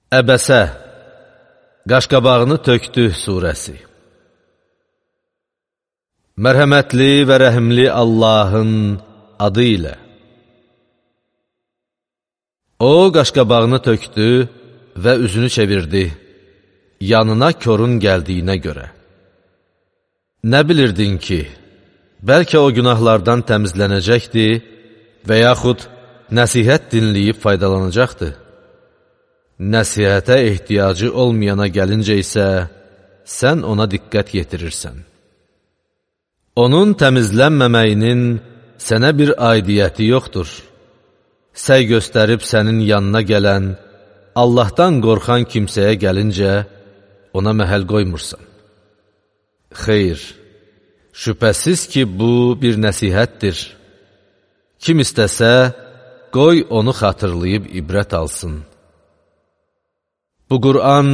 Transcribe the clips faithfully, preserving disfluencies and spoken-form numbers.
Əbəsə, Qaşqabağını tökdü surəsi. Mərhəmətli və rəhimli Allahın adı ilə. O, qaşqabağını tökdü və üzünü çevirdi, yanına korun gəldiyinə görə. Nə bilirdin ki, bəlkə o günahlardan təmizlənəcəkdi və yaxud nəsihət dinləyib faydalanacaqdı. Nəsihətə ehtiyacı olmayana gəlincə isə, sən ona diqqət yetirirsən. Onun təmizlənməməyinin sənə bir aidiyyəti yoxdur. Səy göstərib sənin yanına gələn, Allahdan qorxan kimsəyə gəlincə, ona məhəl qoymursan. Xeyr, şübhəsiz ki, bu bir nəsihətdir. Kim istəsə, qoy onu xatırlayıb ibrət alsın. Bu Qur'an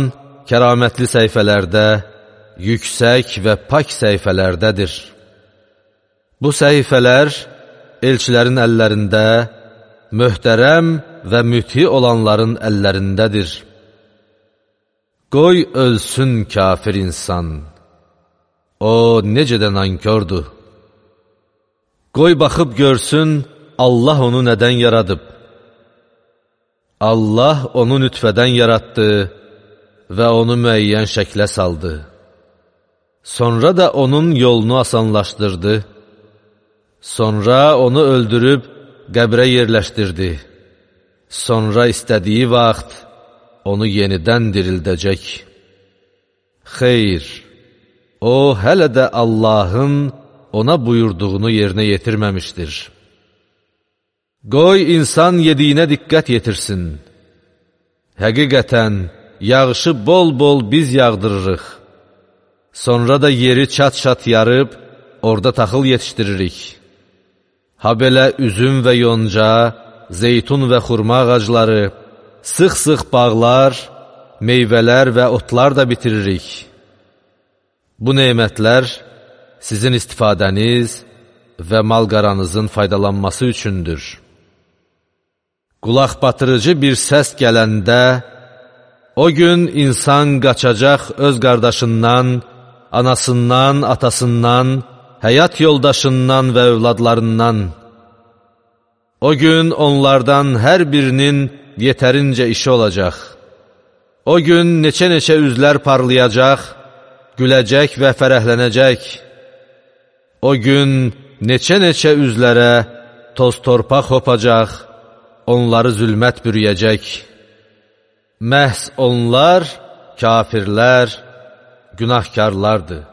kəramətli səhifələrdə, yüksək və pak səhifələrdədir. Bu səhifələr elçilərin əllərində, möhtərəm və müthi olanların əllərindədir. Qoy ölsün kafir insan. O, necə də nankördür. Qoy baxıb görsün, Allah onu nədən yaradıb. Allah onu nütfədən yaratdı və onu müəyyən şəklə saldı. Sonra da onun yolunu asanlaşdırdı. Sonra onu öldürüb qəbrə yerləşdirdi. Sonra istədiyi vaxt onu yenidən dirildəcək. Xeyr, o hələ də Allahın ona buyurduğunu yerinə yetirməmişdir. Qoy insan yediyinə diqqət yetirsin. Həqiqətən, yağışı bol-bol biz yağdırırıq. Sonra da yeri çat-çat yarıb, orada taxıl yetişdiririk. Ha belə üzüm və yonca, zeytun və xurma ağacları, sıx-sıx bağlar, meyvələr və otlar da bitiririk. Bu nemətlər sizin istifadəniz və mal-qaranızın faydalanması üçündür. Qulaq batırıcı bir səs gələndə, o gün insan qaçacaq öz qardaşından, anasından, atasından, həyat yoldaşından və övladlarından. O gün onlardan hər birinin yetərincə işi olacaq. O gün neçə-neçə üzlər parlayacaq, güləcək və fərəhlənəcək. O gün neçə-neçə üzlərə toz-torpaq hopacaq, onları zülmət bürüyəcək. Məhz onlar, kafirlər, günahkarlardır.